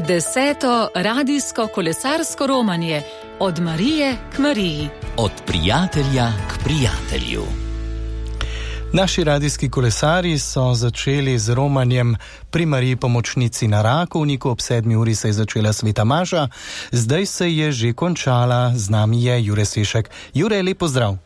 10. radijsko kolesarsko romanje Od Marije k Mariji. Od prijatelja k prijatelju. Naši radijski kolesarji so začeli z romanjem pri Mariji Pomočnici na Rakovniku. Ob 7. uri se je začela sveta maša, zdaj se je že končala. Z nami je Jure Sešek. Jure, lep pozdrav.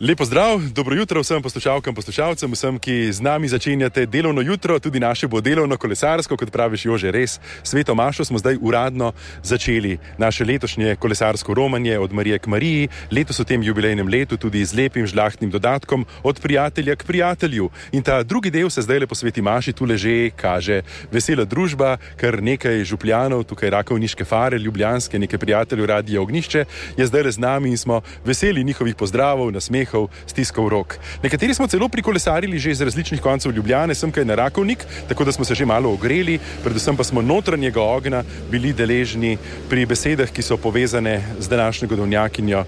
Lepo zdrav, dobro jutro vsem poslušalkam, poslušalcem, vsem, ki z nami začenjate delovno jutro, tudi naše bo delovno kolesarsko, kot praviš Jože, res. Sveto mašo smo zdaj uradno začeli, naše letošnje kolesarsko romanje Od Marije k Mariji, letos v tem jubilejnem letu tudi z lepim žlahtnim dodatkom Od prijatelja k prijatelju. In ta drugi del se zdaj po sveti maši tule že kaže. Vesela družba, kar nekaj župljanov, tukaj rakovniške fare, ljubljanske, nekaj prijateljev Radia Ognjišče, je zdaj z nami in smo veseli njihovih pozdravov, nasmehov, stiskov rok. Nekateri smo celo prikolesarili že iz različnih koncev Ljubljane, semkaj na Rakovnik, tako da smo se že malo ogreli, predvsem pa smo notranjega ognja bili deležni pri besedah, ki so povezane z današnjo godovnjakinjo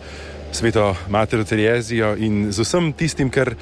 Sveto Matero Terezijo in z vsem tistim, kar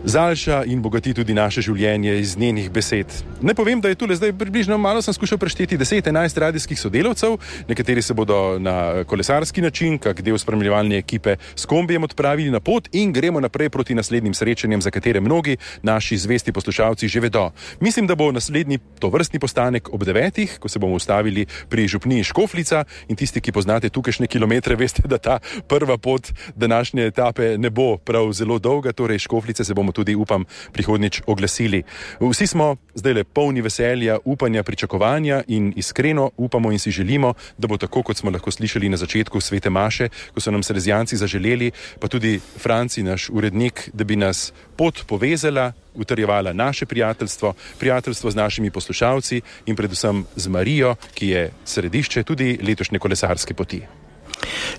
zaljša in bogati tudi naše življenje iz njenih besed. Ne povem, da je tule zdaj približno, malo sem skušal prešteti 10-11 radijskih sodelavcev, nekateri se bodo na kolesarski način, kak del spremljevalne ekipe s kombijem odpravili na pot in gremo naprej proti naslednjim srečanjem, za katere mnogi naši zvesti poslušalci že vedo. Mislim, da bo naslednji tovrstni postanek ob 9, ko se bomo ustavili pri župniji Škofljica in tisti, ki poznate tukajšnje kilometre, veste, da ta prva pot današnje etape ne bo prav zelo dolga, torej Škofljice se bomo tudi, upam, prihodnjič oglasili. Vsi smo zdaj le polni veselja, upanja, pričakovanja in iskreno upamo in si želimo, da bo tako, kot smo lahko slišali na začetku svete maše, ko so nam Salezijanci zaželeli, pa tudi Franci, naš urednik, da bi nas pot povezala, utrjevala naše prijateljstvo, prijateljstvo z našimi poslušalci in predvsem z Marijo, ki je središče tudi letošnje kolesarske poti.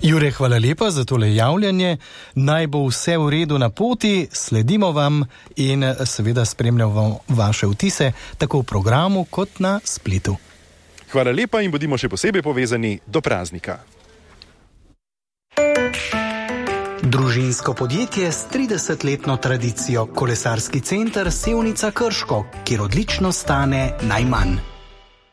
Jure, hvala lepa za tole javljanje. Naj bo vse v redu na poti, sledimo vam in seveda spremljamo vaše vtise tako v programu kot na spletu. Hvala lepa in bodimo še posebej povezani do praznika. Družinsko podjetje s 30-letno tradicijo, kolesarski center Sevnica Krško, kjer odlično stane najmanj.